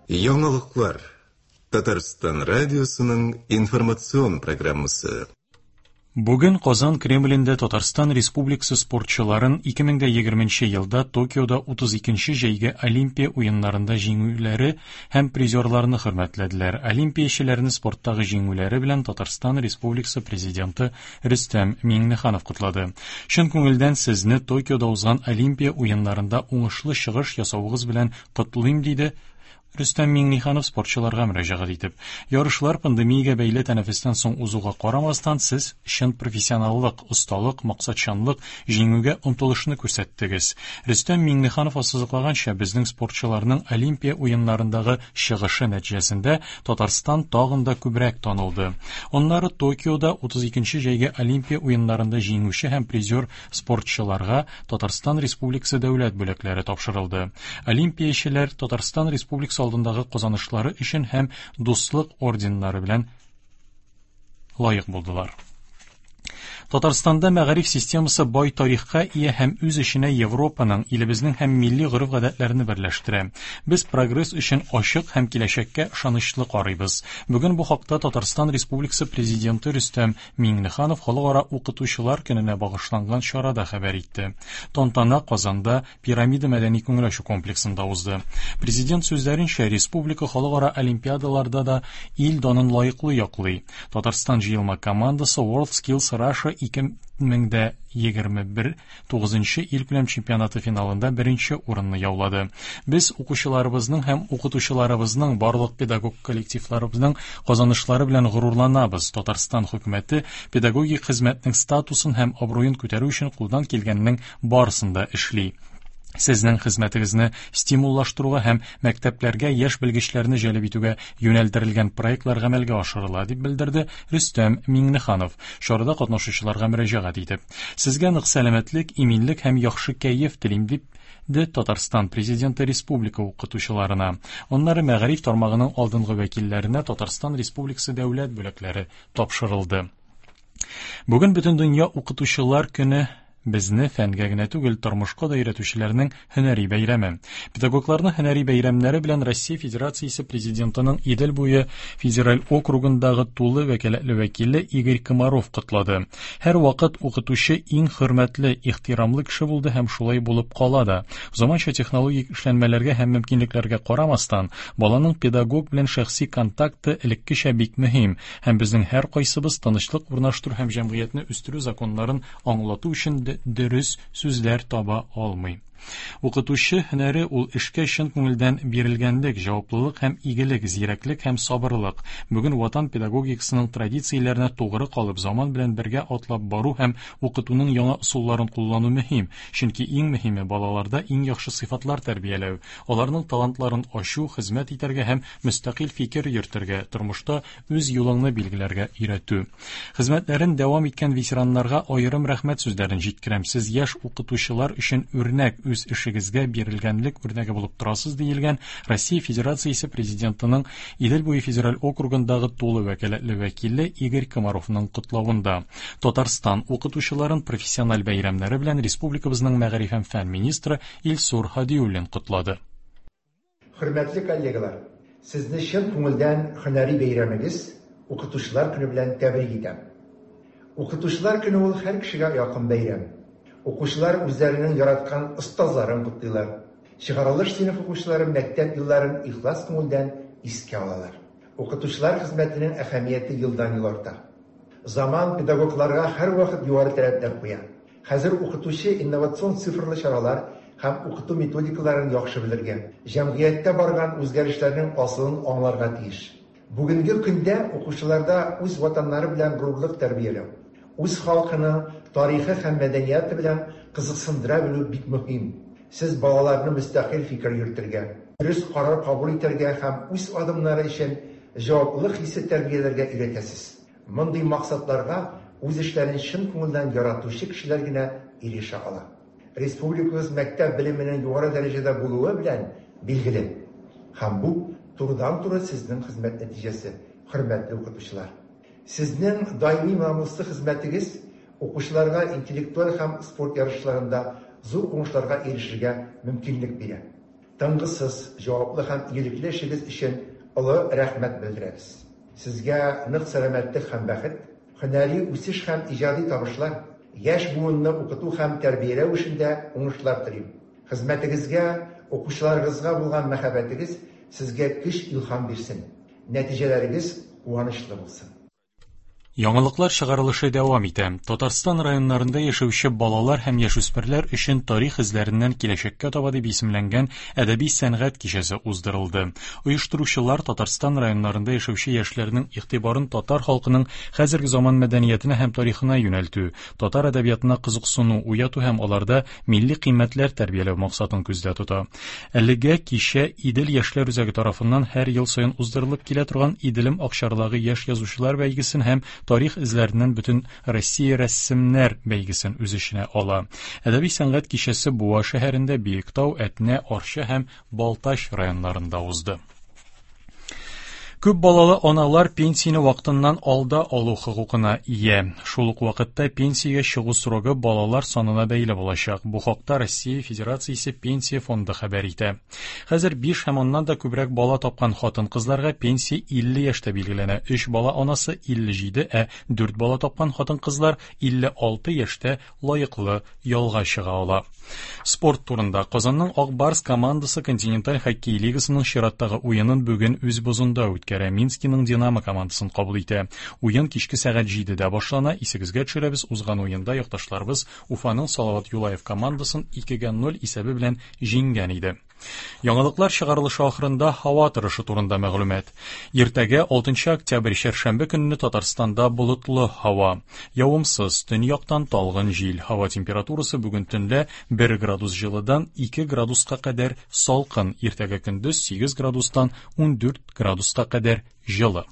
Яңалыклар. Татарстан радиосының информацион программасы. Бүген Казан Кремлендә Татарстан Республикасы спортчыларын 2020 елда Токиода 32 нче җәйге Олимпия уеннарында җиңүләре һәм призерларны хөрмәтләделәр. Олимпиячеләрне спорттагы җиңүләре белән Татарстан Республикасы Президенты Рөстәм Миңнеханов котлады. Чын күңелдән сезне Токиода узган Олимпия уеннарында уңышлы чыгыш ясавыгыз белән котлыйм, диде Рөстәм Миңнеханов спортчыларга мөрәҗәгать итеп. Ярышлар пандемиягә бәйле тәнәфестән соң узуга карамастан, сез чын профессионаллык, осталык, максатчанлык, җиңүгә омтылышны күрсәттегез. Рөстәм Миңнеханов ассызыклаганча, безнең спортчыларның Олимпия уеннарындагы чыгышы нәтиҗәсендә Татарстан тагын да күбрәк танылды. Аннары Токиода 32 нче җәйге Олимпия уеннарында җиңүче һәм призер спортчыларга Татарстан Республикасы дәүләт бүләкләре тапшырылды. Олимпиячеләр Татарстан Республикасы алдындагы казанышлары өчен һәм Дуслык орденнары белән лаек булдылар. Татарстанда мәгариф системасы бай тарихка ия һәм үз эченә Европаның, илебезнең һәм милли гореф-гадәтләрне берләштерә. Без прогресс өчен ачык һәм киләчәккә ышанычлы карыйбыз. Бүген бу хакта Татарстан Республикасы Президенты Рөстәм Миңнеханов Халыкара укытучылар көненә багышланган чарада хәбәр итте. Тантана Казанда Пирамида мәдәни күңел ачу комплексында узды. Президент сүзләренчә, республика халыкара олимпиадаларда да ил данын лаеклы яклый. Татарстан җыелма командасы WorldSkills Russia 2021 тугызынчы илкүләм чемпионаты финалында беренче урынны яулады. Без укучыларыбызның һәм укытучыларыбызның, барлык педагог коллективларыбызның казанышлары белән горурланабыз. Татарстан хөкүмәте педагогик хезмәтнең статусын һәм абруен күтәрү өчен кулдан килгәннең барысын да эшли. Сезнең хезмәтегезне стимуллаштыруга һәм мәктәпләргә яшь белгечләрне җәлеп итүгә юнәлдерелгән проектлар гамәлгә ашырыла, дип белдерде Рөстәм Миңнеханов, чарада катнашучыларга мөрәҗәгать итеп. Сезгә нык сәламәтлек, иминлек һәм яхшы кәеф телим, дип де Татарстан Президенты республика укытучыларына. Аннары мәгариф тармагының алдынгы вәкилләренә Татарстан Республикасы дәүләт бүләкләре тапшырылды. Бүген Бөтендөнья укытучылар көне безне фәнгә генә түгел, тормышка да өйрәтүчеләрнең һөнәри бәйрәме. Педагогларны һөнәри бәйрәмнәре белән Россия Федерациясе Президентының Идел буе федераль округындагы тулы вәкаләтле вәкиле Игорь Комаров котлады. Һәрвакыт укытучы иң хөрмәтле, ихтирамлы кеше булды һәм шулай булып кала да. Заманча технологик эшләнмәләргә һәм мөмкинлекләргә карамастан, баланың педагог белән шәхси контакты элеккечә бик мөһим, һәм безнең һәркайсыбыз тынычлык урнаштыру һәм җәмгыятьне үстерү законнарын аңлату өчен дөрес сүзләр таба алмый. Укытучы һөнәре ул эшкә чын күңелдән бирелгәнлек, җаваплылык һәм игелек, зирәклек һәм сабырлык. Бүген ватан педагогикасының традицияләренә тугры калып, заман белән бергә атлап бару һәм укытуның яңа ысулларын куллану мөһим, чөнки иң мөһиме балаларда иң яхшы сыйфатлар тәрбияләү, аларның талантларын ачу, хезмәт итәргә һәм мөстәкыйль фикер йөртергә, тормышта үз юлыңны билгеләргә өйрәтү. Хезмәтләрен дәвам иткән ветераннарга аерым рәхмәт сүзләрен җиткерәм. Сез яшь укытучылар өчен үрнәк, үз эшегезгә бирелгәнлек үрнәге булып торасыз, диелгән Россия Федерациясе Президентының Идел буе федераль округындагы тулы вәкаләтле вәкиле Игорь Комаровның котлавында. Татарстан укытучыларын профессиональ бәйрәмнәре белән республикабызның мәгариф һәм фән министры Илсур Һадиуллин котлады. Хөрмәтле коллегалар, сезне чын күңелдән һөнәри бәйрәмегез, Укытучылар көне белән тәбрик итәм. Укытучылар көне ул һәр кешегә якын бәйрәм. Укучылар үзләренең яраткан остазларын котлыйлар. Чыгарылыш сыйныф укучылары мәктәп елларын ихлас күңелдән искә алалар. Укытучылар хезмәтенең әһәмияте елдан-ел арта. Заман педагогларга һәрвакыт югары таләпләр куя. Хәзер укытучы инновацион цифрлы чаралар һәм укыту методикаларын яхшы белергә, җәмгыятьтә барган үзгәрешләрнең асылын аңларга тиеш. Бүгенге көндә укучыларда үз ватаннары белән горурлык тәрбияләү, үз халкының тарихы һәм мәдәнияты белән кызыксындыра белү бик мөһим. Сез балаларны мөстәкыйль фикер йөртергә, дөрес карар кабул итәргә һәм үз адымнары өчен җаваплылык хисе тәрбияләргә өйрәтәсез. Мондый максатларга үз эшләрен чын күңелдән яратучы кешеләр генә ирешә ала. Республикабыз мәктәп белеменең югары дәрәҗәдә булуы белән билгеле. Һәм бу, турыдан-туры сезнең хезмәт нәтиҗәсе, хөрмәтле укытучылар. Сезнең даими намуслы хезмәтегез укучыларга интеллектуаль һәм спорт ярышларында зур уңышларга ирешергә мөмкинлек бирә. Тынгысыз, җаваплы һәм игелекле эшегез өчен олы рәхмәт белдерәбез. Сезгә нык сәламәтлек һәм бәхет, һөнәри үсеш һәм иҗади табышлар, яшь буынны укыту һәм тәрбияләү эшендә уңышлар телим. Хезмәтегезгә, укучыларыгызга булган мәхәббәтегез сезгә көч-илһам бирсен, нәтиҗәләрегез куанычлы булсын. Яңалыклар чыгарылышы дәвам итә. Татарстан районнарында яшәүче балалар һәм яшүсмерләр өчен Тарих эзләреннән киләчәккә таба дип исемләнгән әдәби сәнгать кичәсе уздырылды. Оештыручылар Татарстан районнарында яшәүче яшьләрнең игътибарын татар халкының хәзерге заман мәдәниятенә һәм тарихына юнәлтү, татар әдәбиятына кызыксыну уяту һәм аларда милли кыйммәтләр тәрбияләү максатын күздә тота. Әлегә кичә Идел яшьләр үзәге тарафыннан һәр ел саен уздырылып килә торган Иделем акчарлагы яшь язучылар бәйгесен һәм тарих эзләреннән бөтен Россия рәссемнәр бәйгесен үз эченә ала. Әдәби сәнгать кичәсе Буа шәһәрендә, Биектау, Әтнә, Арча һәм Балтач районнарында узды. Күп балалы аналар пенсияне вакытыннан алда алу хокукына ия. Шул ук вакытта пенсиягә чыгу срогы балалар санына бәйле булачак. Бу хакта Россия Федерациясе Пенсия фонды хәбәр итә. Хәзер 5 һәм аннан да күбрәк бала тапкан хатын-кызларга пенсия 50 яшьтә билгеләнә. 3 бала анасы 57, ә 4 бала тапкан хатын-кызлар 56 яшьтә лаеклы ялга чыга ала. Спорт турында. Казанның Ак Барс командасы континенталь хоккей лигасының чираттагы уенын бүген үз бозында үткәрә. Минскиның Динамо командасын кабул итә. Уен кичке сәгать 7-дә башлана. Исегезгә төшерәбез, узган уенда якташларыбыз Уфаның Салават Юлаев командасын 2-0 исәбе белән җиңгән иде. Яңалыклар чыгарылышы ахырында һава торышы турында мәгълүмат. Иртәгә 6 октябрь чәршәмбе көнне Татарстанда болытлы һава. Явымсыз, төньяктан талгын җил. Һава температурасы бүген төнлә 1 градус җылыдан 2 градуска кадәр салкын. Иртәгә көндез 8 градустан 14 градуска кадәр җылы.